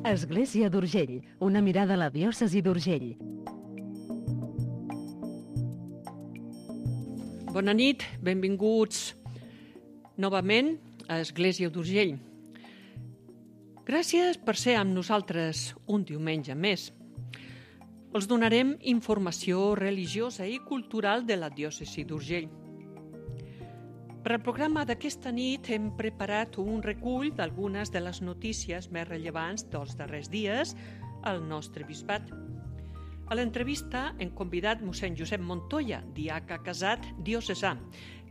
Església d'Urgell, una mirada a la diòcesi d'Urgell. Bona nit, benvinguts novament a Església d'Urgell. Gràcies per ser amb nosaltres un diumenge més. Els donarem informació religiosa i cultural de la diòcesi d'Urgell. Per al programa d'aquesta nit hem preparat un recull d'algunes de les notícies més rellevants dels darrers dies al nostre bisbat. A l'entrevista hem convidat mossèn Josep Montoya, diaca casat diocesà,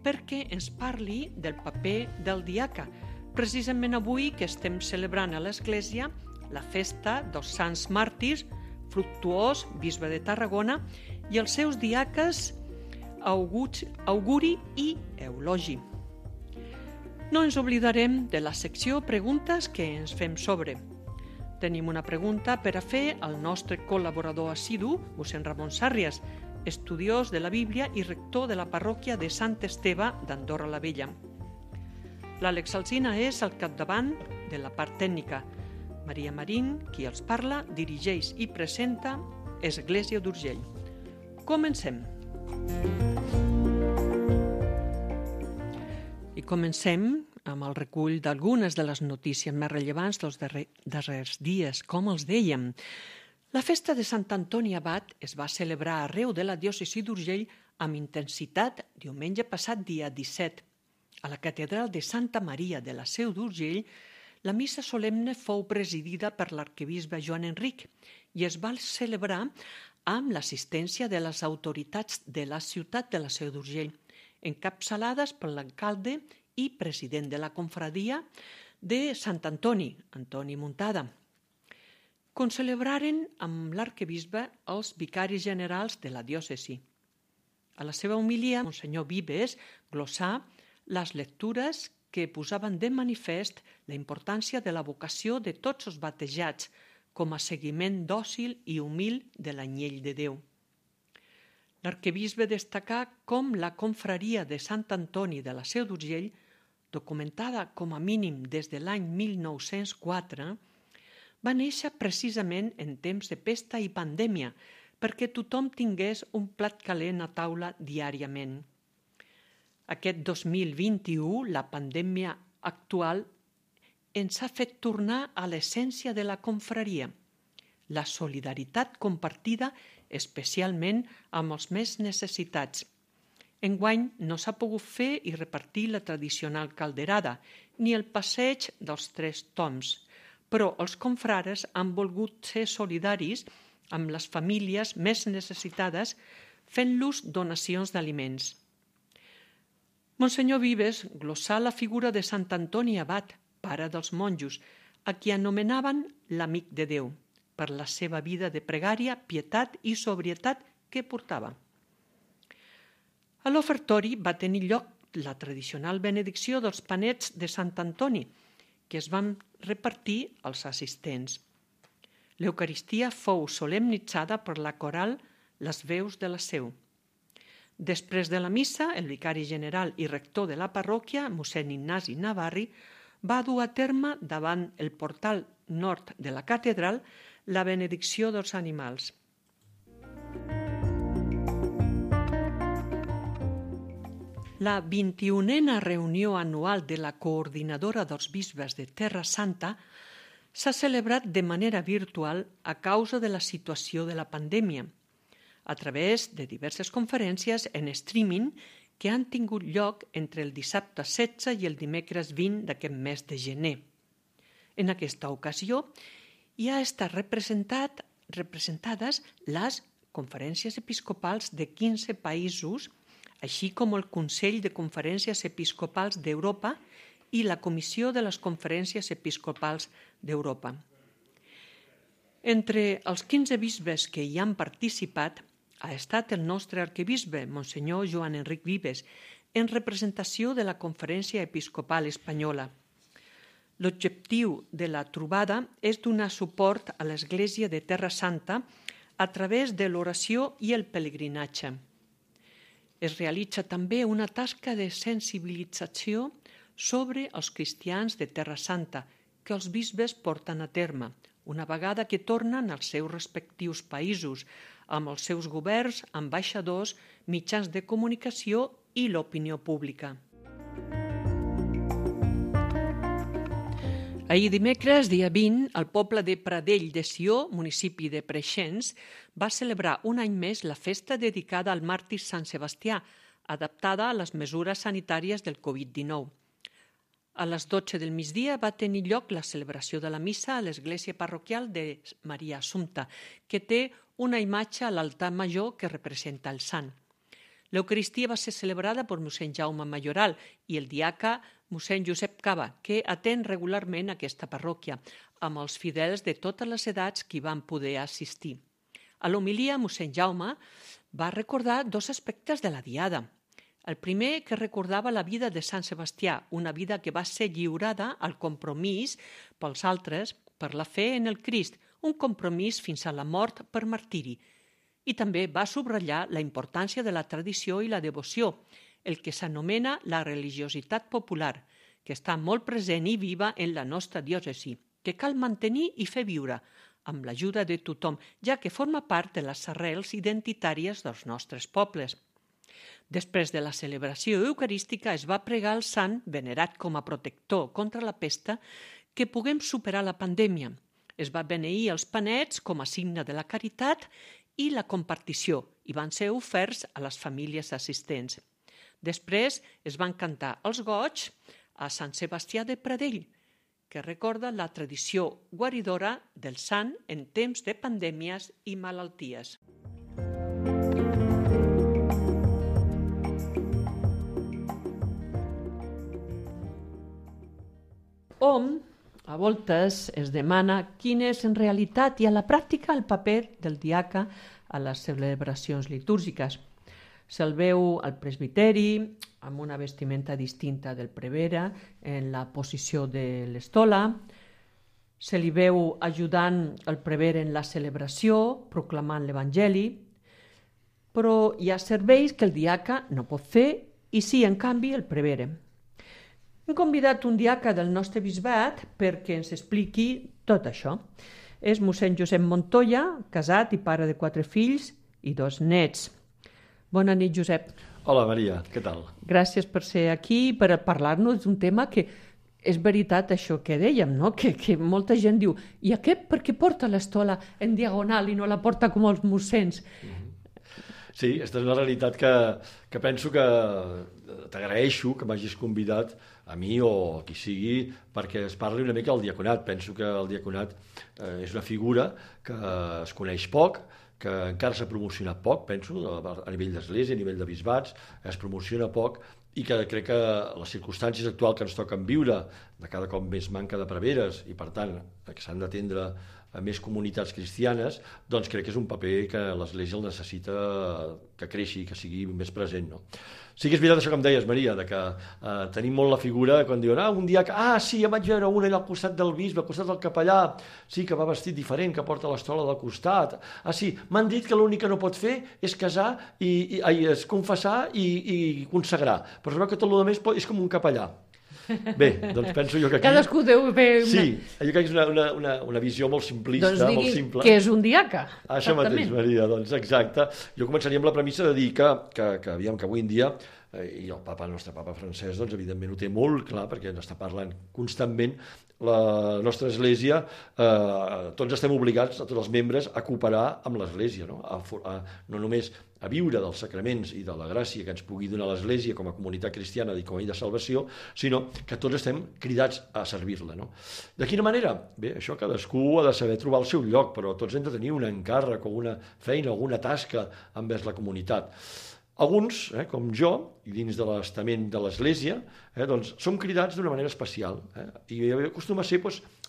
perquè ens parli del paper del diaca, precisament avui que estem celebrant a l'Església la festa dels Sants Màrtirs, Fructuós, bisbe de Tarragona, i els seus diaques Auguri i Eulogi. No ens oblidarem de la secció Preguntes que ens fem sobre. Tenim una pregunta per a fer al nostre col·laborador assidu, mossèn Ramon Sàrrias, estudiós de la Bíblia i rector de la parròquia de Sant Esteve d'Andorra la Vella. L'Àlex Alsina és al capdavant de la part tècnica. Maria Marín, qui els parla, dirigeix i presenta Església d'Urgell. Comencem. I comencem amb el recull d'algunes de les notícies més rellevants dels darrers dies. Com els dèiem, la festa de Sant Antoni Abat es va celebrar arreu de la diòcesi d'Urgell amb intensitat diumenge passat dia 17. A la catedral de Santa Maria de la Seu d'Urgell, la missa solemne fou presidida per l'arquebisbe Joan Enric i es va celebrar amb l'assistència de les autoritats de la ciutat de la Seu d'Urgell, encapçalades per l'alcalde i president de la confraria de Sant Antoni, Antoni Muntada. Concelebraren amb l'arquebisbe els vicaris generals de la diòcesi. A la seva homilia, Monsenyor Vives glossà les lectures que posaven de manifest la importància de la vocació de tots els batejats com a seguiment dòcil i humil de l'anyell de Déu. L'arquebisbe destacà com la confraria de Sant Antoni de la Seu d'Urgell, documentada com a mínim des de l'any 1904, va néixer precisament en temps de pesta i pandèmia perquè tothom tingués un plat calent a taula diàriament. Aquest 2021, la pandèmia actual, ens ha fet tornar a l'essència de la confraria, la solidaritat compartida especialment amb els més necessitats. Enguany no s'ha pogut fer i repartir la tradicional calderada, ni el passeig dels 3 toms, però els confrares han volgut ser solidaris amb les famílies més necessitades fent-los donacions d'aliments. Monsenyor Vives glossà la figura de Sant Antoni Abat, pare dels monjos, a qui anomenaven l'amic de Déu, per la seva vida de pregària, pietat i sobrietat que portava. A l'ofertori va tenir lloc la tradicional benedicció dels panets de Sant Antoni, que es van repartir als assistents. L'Eucaristia fou solemnitzada per la coral Les Veus de la Seu. Després de la missa, el vicari general i rector de la parròquia, mossèn Ignasi Navarri, va dur a terme davant el portal nord de la catedral la benedicció dels animals. La 21a reunió anual de la Coordinadora dels Bisbes de Terra Santa s'ha celebrat de manera virtual a causa de la situació de la pandèmia, a través de diverses conferències en streaming que han tingut lloc entre el dissabte 16 i el dimecres 20 d'aquest mes de gener. En aquesta ocasió hi ha estat representades les conferències episcopals de 15 països, així com el Consell de Conferències Episcopals d'Europa i la Comissió de les Conferències Episcopals d'Europa. Entre els 15 bisbes que hi han participat ha estat el nostre arquebisbe, Monsenyor Joan Enric Vives, en representació de la Conferència Episcopal Espanyola. L'objectiu de la trobada és donar suport a l'Església de Terra Santa a través de l'oració i el pelegrinatge. Es realitza també una tasca de sensibilització sobre els cristians de Terra Santa que els bisbes porten a terme, una vegada que tornen als seus respectius països, amb els seus governs, ambaixadors, mitjans de comunicació i l'opinió pública. Ahir dimecres, dia 20, el poble de Pradell de Sió, municipi de Preixens, va celebrar un any més la festa dedicada al màrtir Sant Sebastià, adaptada a les mesures sanitàries del Covid-19. A les 12 del migdia va tenir lloc la celebració de la missa a l'església parroquial de Maria Assumpta, que té una imatge a l'altar major que representa el sant. L'Eucaristia va ser celebrada per mossèn Jaume Mayoral i el diaca mossèn Josep Cava, que atén regularment aquesta parròquia, amb els fidels de totes les edats que van poder assistir. A l'homilia, mossèn Jaume va recordar dos aspectes de la diada. El primer, que recordava la vida de Sant Sebastià, una vida que va ser lliurada al compromís pels altres per la fe en el Crist, un compromís fins a la mort per martiri. I també va subratllar la importància de la tradició i la devoció, el que s'anomena la religiositat popular, que està molt present i viva en la nostra diòcesi, que cal mantenir i fer viure, amb l'ajuda de tothom, ja que forma part de les arrels identitàries dels nostres pobles. Després de la celebració eucarística es va pregar al sant, venerat com a protector contra la pesta, que puguem superar la pandèmia. Es va beneir els panets com a signe de la caritat i la compartició i van ser oferts a les famílies assistents. Després es van cantar els goigs a Sant Sebastià de Pradell, que recorda la tradició guaridora del sant en temps de pandèmies i malalties. Hom, a voltes, es demana quin és en realitat i a la pràctica el paper del diaca a les celebracions litúrgiques. Se'l veu al presbiteri amb una vestimenta distinta del prevere en la posició de l'estola, se li veu ajudant el prevere en la celebració, proclamant l'Evangeli, però hi ha serveis que el diaca no pot fer i sí, en canvi, el prevere. Hem convidat un diaca del nostre bisbat perquè ens expliqui tot això. És mossèn Josep Montoya, casat i pare de 4 fills i 2 nets. Bona nit, Josep. Hola, Maria, què tal? Gràcies per ser aquí, per parlar-nos d'un tema que és veritat això que dèiem, no? Que molta gent diu, i aquest per què porta l'estola en diagonal i no la porta com els mossens? Sí, aquesta és una realitat que penso que t'agraeixo que m'hagis convidat a mi o a qui sigui perquè es parli una mica del diaconat. Penso que el diaconat és una figura que es coneix poc, que encara s'ha promocionat poc, penso, a nivell d'església, a nivell de bisbats, es promociona poc i que crec que les circumstàncies actuals que ens toquen viure, de cada cop més manca de preveres i, per tant, que s'han d'atendre a més comunitats cristianes, doncs crec que és un paper que l'Església el necessita que creixi, que sigui més present, no? Sí que és veritat això que em deies, Maria, de que tenim molt la figura quan diuen un dia que, sí, ja vaig veure una allà al costat del bisbe, al costat del capellà, sí, que va vestit diferent, que porta l'estola del costat, sí, m'han dit que l'únic que no pot fer és casar, és confessar i consagrar, però es veu que tot el més és com un capellà. Bé, doncs penso jo que aquí... Cadascú deu fer... Sí, jo crec que és una visió molt simplista, doncs molt simple. Doncs que és un diaca. Això mateix, Maria, doncs exacte. Jo començaria amb la premissa de dir que avui en dia, i el nostre papa Francesc, doncs evidentment ho té molt clar, perquè ens està parlant constantment, la nostra Església, tots estem obligats, a tots els membres, a cooperar amb l'Església, no? No només a viure dels sacraments i de la gràcia que ens pugui donar l'Església com a comunitat cristiana i com a llei de salvació, sinó que tots estem cridats a servir-la, no? De quina manera? Bé, això cadascú ha de saber trobar el seu lloc, però tots hem de tenir un encàrrec o una feina, alguna tasca envers la comunitat. Alguns, com jo, i dins de l'estament de l'Església, doncs som cridats d'una manera especial, i acostuma a ser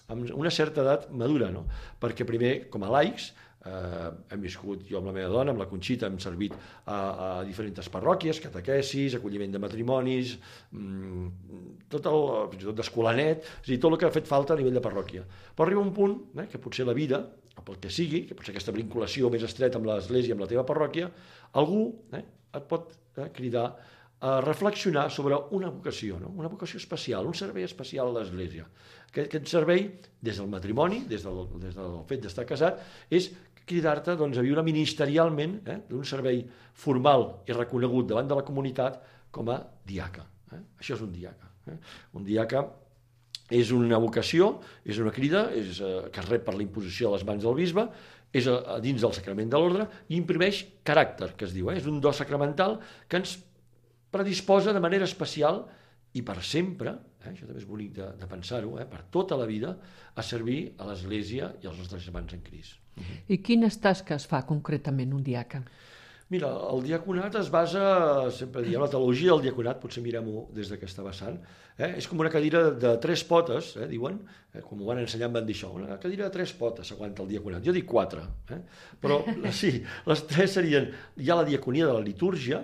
amb una certa edat madura, no? Perquè primer, com a laics, hem viscut, jo amb la meva dona, amb la Conxita, hem servit a diferents parròquies, catequesis, acolliment de matrimonis, fins i tot d'escolanet, és a dir, tot el que ha fet falta a nivell de parròquia. Però arriba un punt que potser la vida, o pel que sigui, que potser aquesta vinculació més estreta amb l'Església, amb la teva parròquia, algú et pot cridar a reflexionar sobre una vocació, no? Una vocació especial, un servei especial a l'Església. Aquest servei, des del matrimoni, des del fet d'estar casat, és cridar-te doncs, a viure ministerialment d'un servei formal i reconegut davant de la comunitat com a diaca. Això és un diaca. Un diaca és una vocació, és una crida que es rep per la imposició de les mans del bisbe, és dins del sacrament de l'ordre i imprimeix caràcter, que es diu. És un do sacramental que ens predisposa de manera especial i per sempre, això també és bonic de pensar-ho, per tota la vida, a servir a l'Església i als nostres germans en Crist. I quines tasques fa concretament un diaca? Mira, el diaconat es basa, sempre diem, la teologia del diaconat, potser mirem-ho des d'aquesta vessant, és com una cadira de 3 potes, diuen, com ho van ensenyar em van dir això, una cadira de 3 potes s'aguanta el diaconat, jo dic 4, però sí, les 3 serien, hi ha la diaconia de la litúrgia,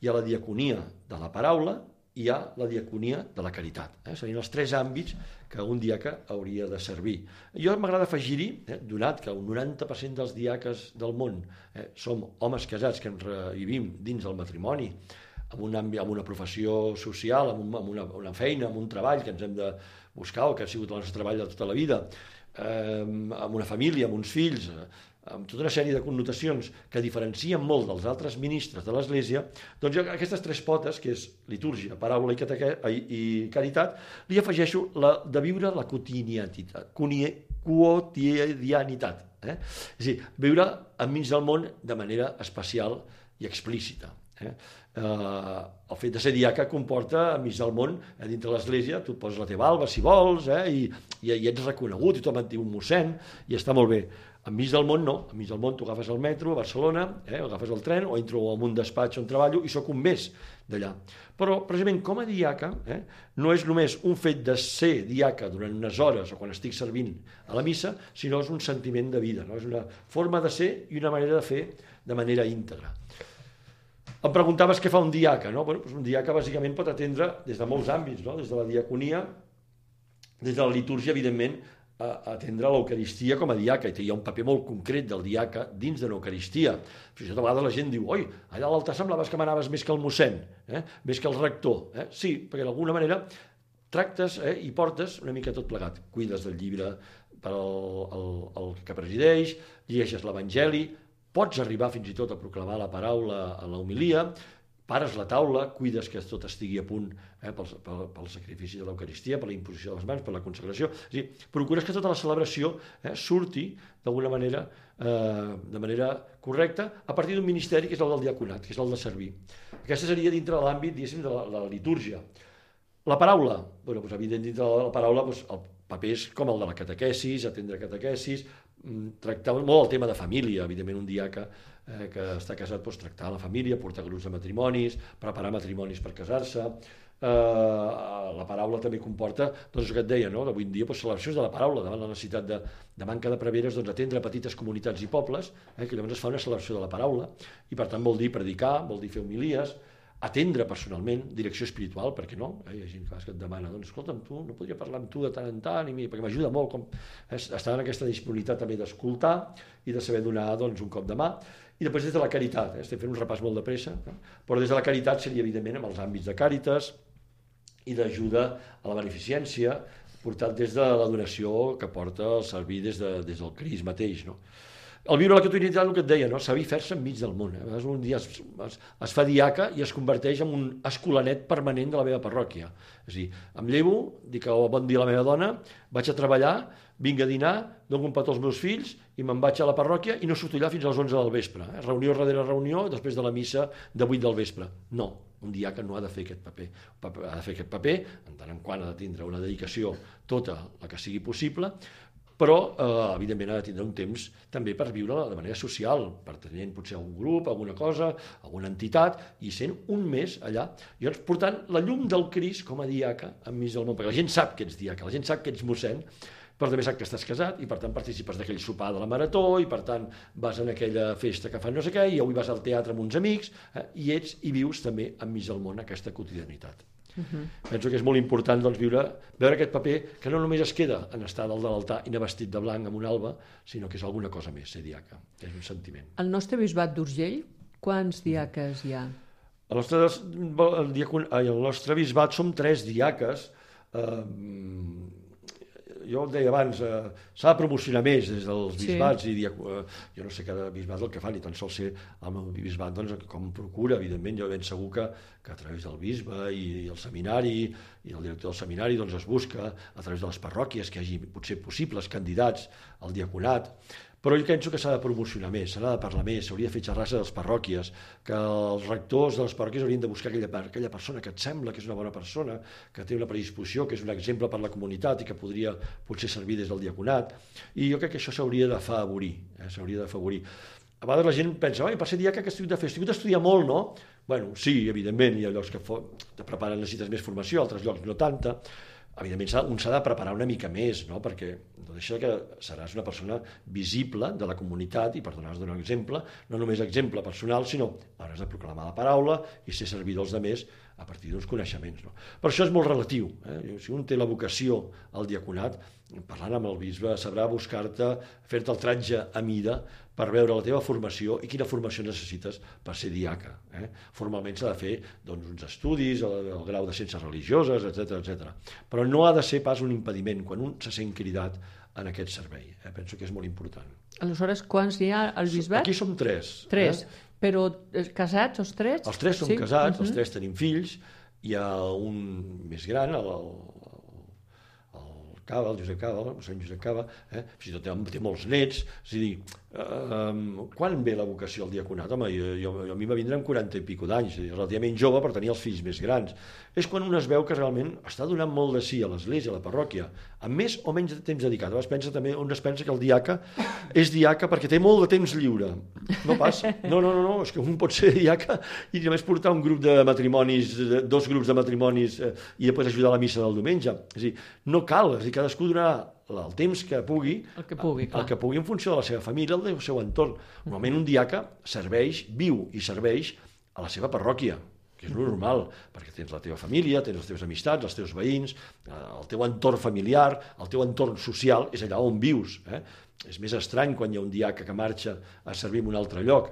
hi ha la diaconia de la paraula, hi ha la diaconia de la caritat. Serien els 3 àmbits que un diaca hauria de servir. Jo m'agrada afegir-hi, donat que un 90% dels diaques del món som homes casats que ens vivim dins del matrimoni, amb una professió social, amb una feina, amb un treball que ens hem de buscar o que ha sigut el nostre treball de tota la vida, amb una família, amb uns fills, amb tota una sèrie de connotacions que diferencien molt dels altres ministres de l'Església, doncs jo aquestes 3 potes, que és litúrgia, paraula i caritat, li afegeixo la de viure la quotidianitat. És a dir, viure enmig del món de manera especial i explícita. El fet de ser diaca comporta enmig del món, dintre l'Església, tu poses la teva alba si vols, i ets reconegut, i tothom et diu un mossèn, i està molt bé. Enmig del món no, enmig del món tu agafes el metro a Barcelona, agafes el tren, o entro en un despatx on treballo i sóc un més d'allà. Però, precisament, com a diaca, no és només un fet de ser diaca durant unes hores o quan estic servint a la missa, sinó és un sentiment de vida, no? És una forma de ser i una manera de fer de manera íntegra. Em preguntaves què fa un diaca, no? Bueno, un diaca bàsicament pot atendre des de molts àmbits, no? Des de la diaconia, des de la litúrgia, evidentment, a atendre l'Eucaristia com a diaca, i hi ha un paper molt concret del diaca dins de l'Eucaristia. Fins i tot a vegades la gent diu, oi, allà a l'altar semblaves que manaves més que el mossèn, més que el rector. Sí, perquè d'alguna manera tractes i portes una mica tot plegat. Cuides del llibre per al que presideix, llegeixes l'Evangeli, pots arribar fins i tot a proclamar la paraula a l'homilia, pares la taula, cuides que tot estigui a punt pel sacrifici de l'Eucaristia, per la imposició de les mans, per la consagració. És a dir, procures que tota la celebració surti d'alguna manera, de manera correcta, a partir d'un ministeri que és el del diaconat, que és el de servir. Aquesta seria dintre de l'àmbit, diguéssim, de la litúrgia. La paraula, doncs, evident, dintre de la paraula, el paper és com el de la catequesis, atendre catequesis, tractar molt el tema de família, evidentment un diaca que està casat pot tractar la família, portar grups de matrimonis, preparar matrimonis per casar-se. La paraula també comporta, doncs el que et deia, no? Avui en dia celebracions de la paraula, davant la necessitat de manca de preveres, doncs atendre petites comunitats i pobles, que llavors es fa una celebració de la paraula, i per tant vol dir predicar, vol dir fer homilies, atendre personalment, direcció espiritual, perquè no? Hi ha gent que et demana, doncs escolta'm, tu no podria parlar amb tu de tant en tant, perquè m'ajuda molt, estar en aquesta disponibilitat també d'escoltar i de saber donar un cop de mà. I després des de la caritat, estem fent un repàs molt de pressa, però des de la caritat seria evidentment amb els àmbits de càritas i d'ajuda a la beneficència, portat des de la donació que porta el servir des del Crist mateix, no? El viure la quotidianitat, el que et deia, no? Saber fer-se enmig del món. A vegades un dia es fa diaca i es converteix en un escolanet permanent de la meva parròquia. És a dir, em llevo, dic bon dia a la meva dona, vaig a treballar, vinc a dinar, dono un petó als meus fills i me'n vaig a la parròquia i no surto allà fins a les 11 del vespre. Reunió darrere reunió, després de la missa de 8 del vespre. No, un diaca no ha de fer aquest paper. Ha de fer aquest paper, en tant en quant ha de tindre una dedicació tota la que sigui possible, però evidentment ha de tindre un temps també per viure de manera social, pertanyent potser a un grup, a alguna cosa, a alguna entitat, i sent un mes allà. Llavors, portant la llum del Crist com a diaca enmig del món, perquè la gent sap que ets diaca, la gent sap que ets mossèn, però també sap que estàs casat i per tant participes d'aquell sopar de la marató i per tant vas en aquella festa que fan no sé què i avui vas al teatre amb uns amics i ets i vius també enmig del món aquesta quotidianitat. Penso que és molt important veure aquest paper que no només es queda en estar dalt de l'altar i anar vestit de blanc amb una alba, sinó que és alguna cosa més, ser diaca, és un sentiment. Al nostre bisbat d'Urgell, quants diaques hi ha? el nostre bisbat som 3 diaques. Jo deia abans, s'ha de promocionar més des dels bisbats, i jo no sé cada bisbat el que fa, ni tan sols sé el meu bisbat com procura, evidentment, jo ben segur que a través del bisbe i el seminari i el director del seminari es busca a través de les parròquies que hi hagi potser possibles candidats al diaconat. Però jo penso que s'ha de promocionar més, s'ha de parlar més, s'hauria de fer xerrades a les parròquies, que els rectors de les parròquies haurien de buscar aquella persona que et sembla que és una bona persona, que té una predisposició, que és un exemple per la comunitat i que podria potser servir des del diaconat. I jo crec que això s'hauria d'afavorir, s'hauria d'afavorir. A vegades la gent pensa, per ser diaca, què estic de fer? Estic d'estudiar molt, no? Bueno, sí, evidentment, hi ha llocs que te preparen, necessites més formació, altres llocs no tanta. Evidentment, un s'ha de preparar una mica més, no? Perquè no deixa que seràs una persona visible de la comunitat i per donar un exemple, no només exemple personal, sinó hauràs de proclamar la paraula i ser servidor dels altres a partir d'uns coneixements. No? Per això és molt relatiu. Si un té la vocació al diaconat, parlant amb el bisbe, sabrà buscar-te, fer-te el tratge a mida per veure la teva formació i quina formació necessites per ser diaca. Formalment s'ha de fer uns estudis, el grau de ciències religioses, etc. Però no ha de ser pas un impediment quan un se sent cridat en aquest servei. Penso que és molt important. Aleshores, quants hi ha al bisbat? Aquí som 3. 3. Però casats, els 3? Els 3 som casats, els 3 tenim fills. Hi ha un més gran, el Josep Cava, el Sant Josep Cava, fins i tot té molts nets. És a dir, quan ve la vocació al diaconat? Home, a mi va vindre amb 40 i pico d'anys, relativament jove per tenir els fills més grans. És quan un es veu que realment està donant molt de sí a l'església, a la parròquia, amb més o menys temps dedicat. A vegades un es pensa que el diaca és diaca perquè té molt de temps lliure. No passa. No, és que un pot ser diaca i només portar un grup de matrimonis, 2 grups de matrimonis i després ajudar a la missa del diumenge. És a dir, no cal, és a dir, cadascú donarà el temps que pugui, el que pugui en funció de la seva família, del seu entorn. Normalment un diaca viu i serveix a la seva parròquia, que és normal, perquè tens la teva família, tens les teves amistats, els teus veïns, el teu entorn familiar, el teu entorn social, és allà on vius. És més estrany quan hi ha un diaca que marxa a servir en un altre lloc.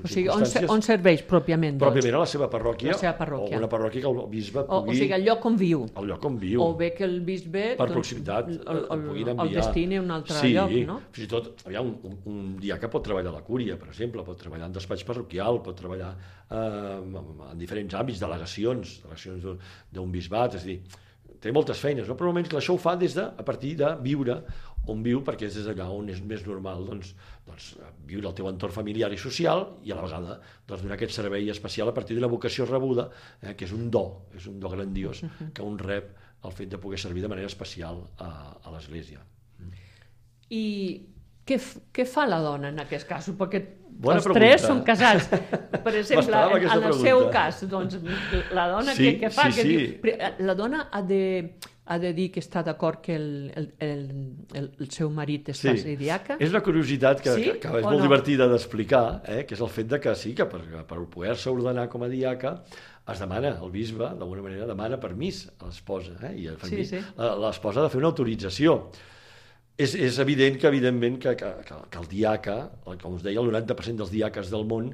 O sigui, on serveix pròpiament? Pròpiament a la seva parròquia, o una parròquia que el bisbe pugui... O sigui, el lloc on viu. El lloc on viu. O bé que el bisbe... Per proximitat, el destini a un altre lloc, no? Fins i tot, un diaca pot treballar a la cúria, per exemple, pot treballar en despatx parroquial, pot treballar en diferents àmbits, delegacions d'un bisbat, és a dir, té moltes feines, no? Però normalment això ho fa a partir de viure on viu, perquè és des d'allà on és més normal viure el teu entorn familiar i social i a la vegada donar aquest servei especial a partir d'una vocació rebuda, que és un do grandiós que un rep el fet de poder servir de manera especial a l'Església. I què fa la dona en aquest cas? Perquè Bona els pregunta. 3 són casats. Per exemple, en el seu cas, doncs, la dona què fa? Sí. La dona ha de dir que està d'acord que el seu marit es faci diaca? És una curiositat que és molt divertida d'explicar, que és el fet que sí, que per poder-se ordenar com a diaca es demana, el bisbe, d'alguna manera, demana permís a l'esposa, i l'esposa ha de fer una autorització. És evident que el diaca, com us deia, el 90% dels diaques del món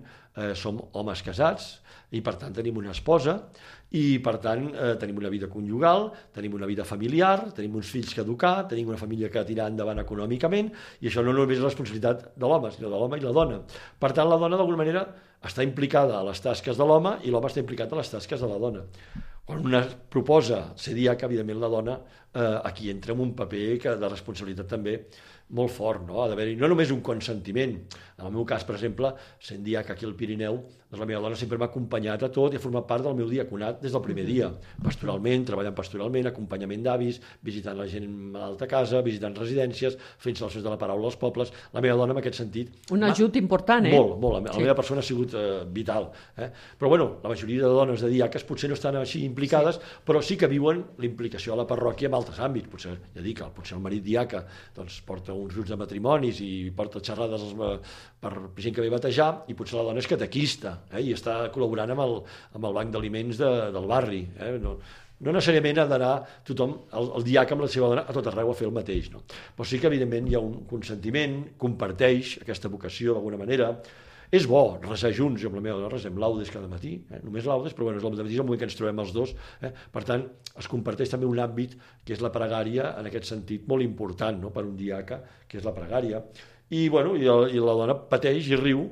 som homes casats i per tant tenim una esposa i per tant tenim una vida conjugal, tenim una vida familiar, tenim uns fills que educar, tenim una família que tirar endavant econòmicament i això no només és responsabilitat de l'home, sinó de l'home i la dona. Per tant, la dona d'alguna manera està implicada a les tasques de l'home i l'home està implicat a les tasques de la dona. Quan una proposa ser diaca, evidentment la dona aquí entra en un paper de responsabilitat també molt fort, no? Ha d'haver-hi no només un consentiment. En el meu cas, per exemple, sent diaca aquí al Pirineu, la meva dona sempre m'ha acompanyat a tot i ha format part del meu diaconat des del primer dia, pastoralment, treballant pastoralment, acompanyament d'avis, visitant la gent malalta a casa, visitant residències, fent salses de la paraula als pobles. La meva dona, en aquest sentit... Un ajut important, Molt. La meva persona ha sigut vital. Però, bueno, la majoria de dones de diaques potser no estan així implicades, però sí que viuen la implicació a la parròquia en altres àmbits. Potser, potser el marit diaca porta uns grups de matrimonis i porta xerrades per gent que ve a batejar i potser la dona és catequista i està col·laborant amb el banc d'aliments del barri. No necessàriament ha d'anar tothom, el diaca amb la seva dona, a tot arreu a fer el mateix. Però sí que, evidentment, hi ha un consentiment, comparteix aquesta vocació d'alguna manera. És bo resar junts, jo amb la meva dona resem laudes cada matí, només laudes, però bueno, és el matí és el moment que ens trobem els dos. Per tant, es comparteix també un àmbit que és la pregària, en aquest sentit, molt important, no?, per un diaca, que és la pregària. I, bueno, i la dona pateix i riu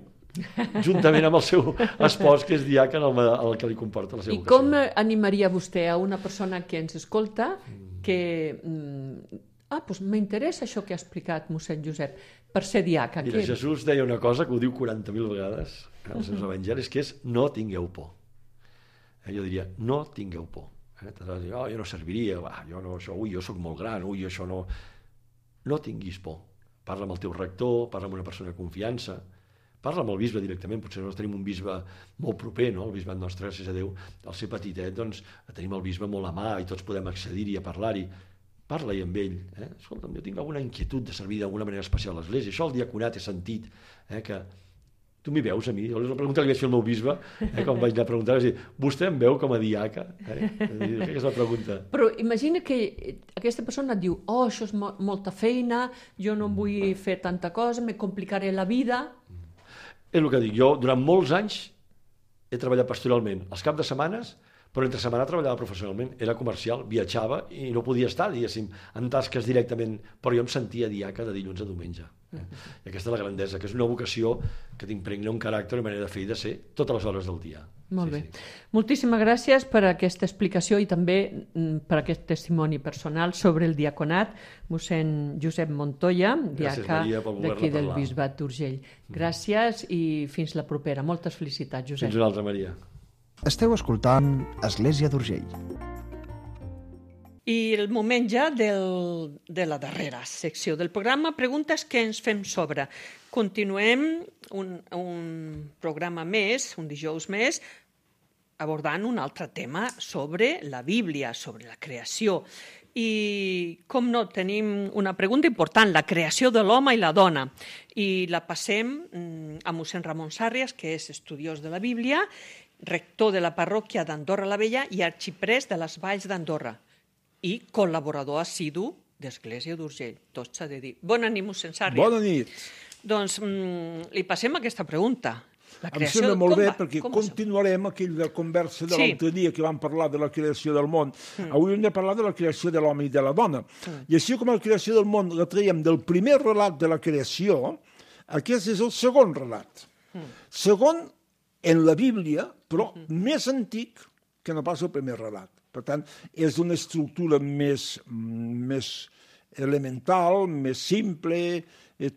juntament amb el seu espòs, que és diaca, el que li comporta la seva vocació. I com animaria vostè a una persona que ens escolta que... doncs m'interessa això que ha explicat mossèn Josep, per ser diaca. Mira, Jesús deia una cosa que ho diu 40.000 vegades als seus evangelis, que és no tingueu por. Jo diria, no tingueu por. Jo no serviria, jo soc molt gran, això no... No tinguis por. Parla amb el teu rector, parla amb una persona de confiança, parla amb el bisbe directament, potser nosaltres tenim un bisbe molt proper, no? El bisbat nostre, gràcies a Déu, al ser petitet, doncs tenim el bisbe molt a mà i tots podem accedir-hi a parlar-hi. Parla-hi amb ell. Escolta'm, jo tinc alguna inquietud de servir d'alguna manera especial a l'Església. Això el diaconat he sentit, que tu m'hi veus a mi? La pregunta que li vaig fer al meu bisbe, quan vaig anar a preguntar, és dir, vostè em veu com a diaca? Aquesta és la pregunta. Però imagina que aquesta persona diu, això és molta feina, jo no vull fer tanta cosa, me complicaré la vida. És el que dic, jo durant molts anys he treballat pastoralment. Els caps de setmanes, però entre setmana treballava professionalment, era comercial, viatjava i no podia estar, diguéssim, en tasques directament, però jo em sentia diaca de dilluns a diumenge. I aquesta és la grandesa, que és una vocació que t'impregna un caràcter, una manera de fer i de ser totes les hores del dia. Molt bé. Moltíssimes gràcies per aquesta explicació i també per aquest testimoni personal sobre el diaconat, mossèn Josep Montoya, diaca d'aquí del Bisbat d'Urgell. Gràcies i fins la propera. Moltes felicitats, Josep. Fins una altra, Maria. Esteu escoltant Església d'Urgell. I el moment ja de la darrera secció del programa, preguntes que ens fem sobre. Continuem un programa més, un dijous més, abordant un altre tema sobre la Bíblia, sobre la creació. I, com no, tenim una pregunta important, la creació de l'home i la dona. I la passem a mossèn Ramon Sàrrias, que és estudiós de la Bíblia, rector de la parròquia d'Andorra la Vella i arxiprès de les Valls d'Andorra i col·laborador assidu d'Església d'Urgell. Tot s'ha de dir. Bona nit, mossèn Sàrrias. Bona nit. Doncs li passem aquesta pregunta. Em sembla molt bé perquè continuarem aquella conversa de l'altre dia que vam parlar de la creació del món. Avui hem de parlar de la creació de l'home i de la dona. I així com la creació del món la traiem del primer relat de la creació, aquest és el segon relat. Segon en la Bíblia, però més antic que no pas el primer relat. Per tant, és d'una estructura més elemental, més simple,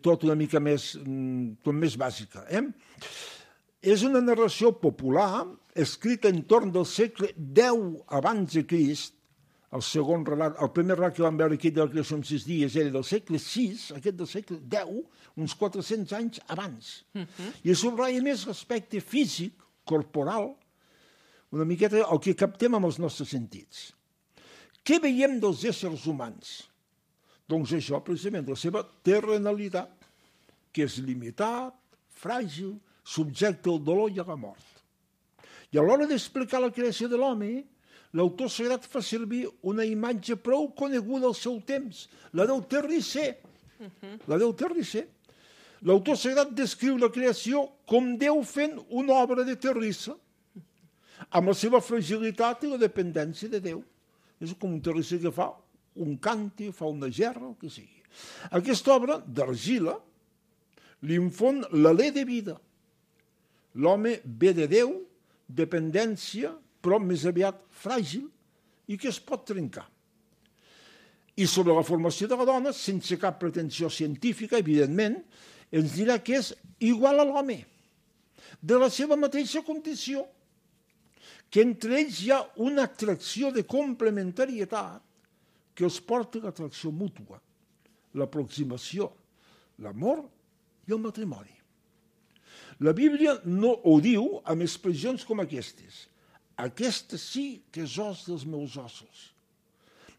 tot una mica més bàsica. És una narració popular, escrita entorn del segle X abans de Crist. El segon relat, el primer relat que vam veure aquí de la creació en 6 dies era del segle VI, aquest del segle X, uns 400 anys abans. I subratlla més l'aspecte físic, corporal, una miqueta el que captem amb els nostres sentits. Què veiem dels éssers humans? Doncs això, precisament, la seva terrenalitat, que és limitat, fràgil, subjecte al dolor i a la mort. I a l'hora d'explicar la creació de l'home, l'autor sagrat fa servir una imatge prou coneguda al seu temps, la del terrisser. La del terrisser. L'autor sagrat descriu la creació com Déu fent una obra de terrissa, amb la seva fragilitat i la dependència de Déu. És com un terrisser que fa un càntir, fa una gerra, el que sigui. Aquesta obra d'argila li infon l'alè de vida. L'home ve de Déu, dependència, però més aviat fràgil i que es pot trencar. I sobre la formació de la dona, sense cap pretensió científica, evidentment, ens dirà que és igual a l'home, de la seva mateixa condició, que entre ells hi ha una atracció de complementarietat que els porta a l'atracció mútua, l'aproximació, l'amor i el matrimoni. La Bíblia no ho diu amb expressions com aquestes. Aquesta sí que és os dels meus ossos.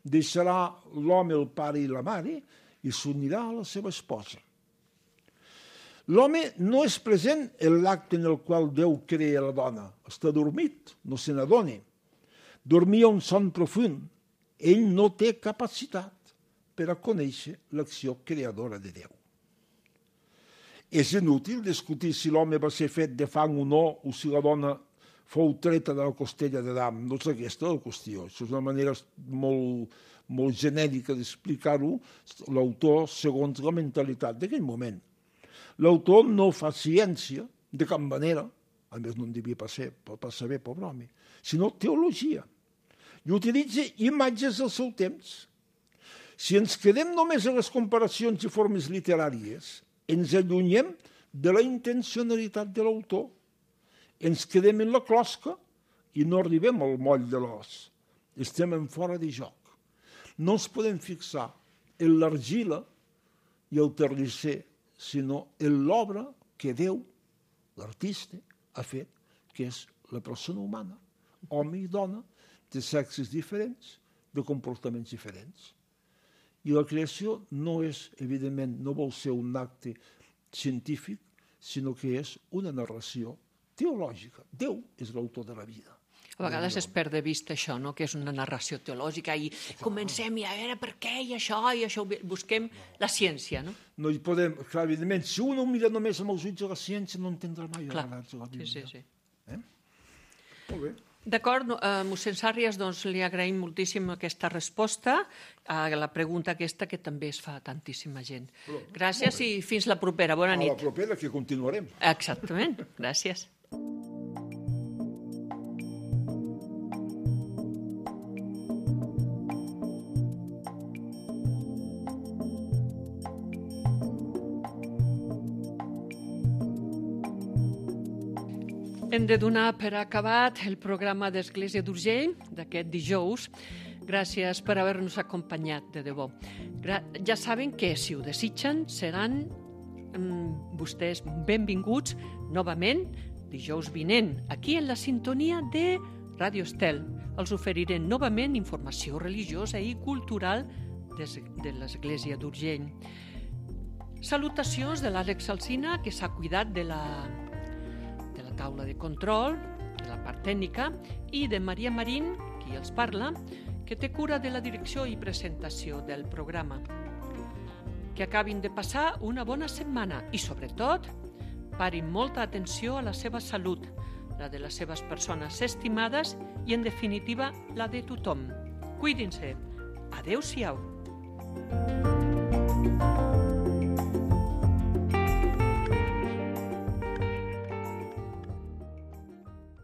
Deixarà l'home el pare i la mare i s'unirà a la seva esposa. L'home no és present en l'acte en el qual Déu crea la dona. Està dormit, no se n'adona. Dormia un son profund. Ell no té capacitat per a conèixer l'acció creadora de Déu. És inútil discutir si l'home va ser fet de fang o no, o si la dona fou treta de la costella d'Adam. No és aquesta la qüestió. Això és una manera molt genèrica d'explicar-ho, l'autor segons la mentalitat d'aquell moment. L'autor no fa ciència de cap manera, a més no en devia passar bé, pobre home, sinó teologia. I utilitza imatges del seu temps. Si ens quedem només a les comparacions i formes literàries, ens allunyem de la intencionalitat de l'autor. Ens quedem en la closca i no arribem al moll de l'os. Estem en fora de joc. No ens podem fixar en l'argila i el terrisser, sinó en l'obra que Déu, l'artista, ha fet, que és la persona humana, home i dona, de sexes diferents, de comportaments diferents. I la creació no és, evidentment, no vol ser un acte científic, sinó que és una narració teològica. Déu és l'autor de la vida. A vegades es perd de vista això, no? Que és una narració teològica i comencem a veure per què i això, busquem la ciència, no? No hi podem, clar, evidentment, si un ho mira només amb els ulls de la ciència no entendrà mai Clar, la Bíblia. sí. Molt bé. D'acord, mossèn Sàrries, doncs li agraïm moltíssim aquesta resposta a la pregunta aquesta que també es fa a tantíssima gent. Gràcies i fins la propera. Bona nit. A la propera que continuarem. Exactament, gràcies. Hem de donar per acabat el programa d'Església d'Urgell d'aquest dijous. Gràcies per haver-nos acompanyat, de debò. Ja saben que, si ho desitgen, seran vostès benvinguts novament dijous vinent, aquí en la sintonia de Ràdio Estel. Els oferiré novament informació religiosa i cultural de l'Església d'Urgell. Salutacions de l'Àlex Alsina, que s'ha cuidat de la taula de control, de la part tècnica, i de Maria Marín, qui els parla, que té cura de la direcció i presentació del programa. Que acabin de passar una bona setmana i, sobretot, parin molta atenció a la seva salut, la de les seves persones estimades i, en definitiva, la de tothom. Cuidin-se. Adéu-siau.